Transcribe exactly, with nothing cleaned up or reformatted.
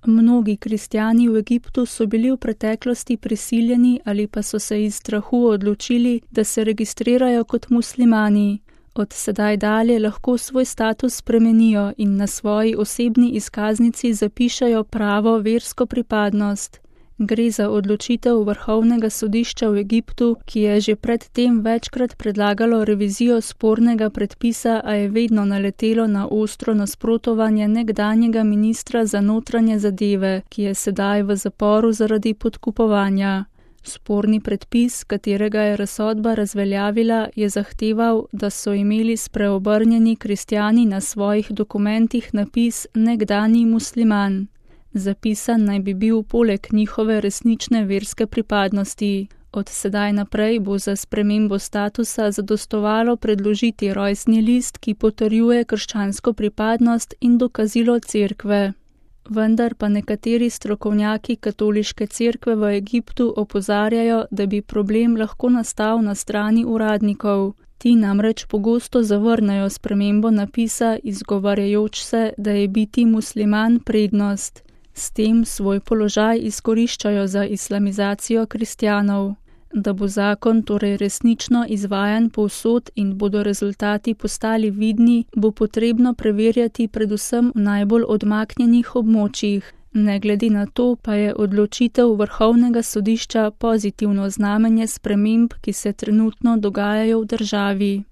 Mnogi kristjani v Egiptu so bili v preteklosti prisiljeni ali pa so se iz strahu odločili, da se registrirajo kot muslimani. Od sedaj dalje lahko svoj status spremenijo in na svoji osebni izkaznici zapišejo pravo versko pripadnost. Gre za odločitev Vrhovnega sodišča v Egiptu, ki je že pred tem večkrat predlagalo revizijo spornega predpisa, a je vedno naletelo na ostro nasprotovanje nekdanjega ministra za notranje zadeve, ki je sedaj v zaporu zaradi podkupovanja. Sporni predpis, katerega je razsodba razveljavila, je zahteval, da so imeli spreobrnjeni kristjani na svojih dokumentih napis nekdanji musliman. Zapisan naj bi bil poleg njihove resnične verske pripadnosti. Od sedaj naprej bo za spremembo statusa zadostovalo predložiti rojstni list, ki potrjuje krščansko pripadnost in dokazilo cerkve. Vendar pa nekateri strokovnjaki katoliške cerkve v Egiptu opozarjajo, da bi problem lahko nastal na strani uradnikov. Ti namreč pogosto zavrnejo spremembo napisa, izgovarjajoč se, da je biti musliman prednost. S tem svoj položaj izkoriščajo za islamizacijo kristjanov. Da bo zakon torej resnično izvajan povsod in bodo rezultati postali vidni, bo potrebno preverjati predvsem v najbolj odmaknjenih območjih. Ne glede na to pa je odločitev Vrhovnega sodišča pozitivno znamenje sprememb, ki se trenutno dogajajo v državi.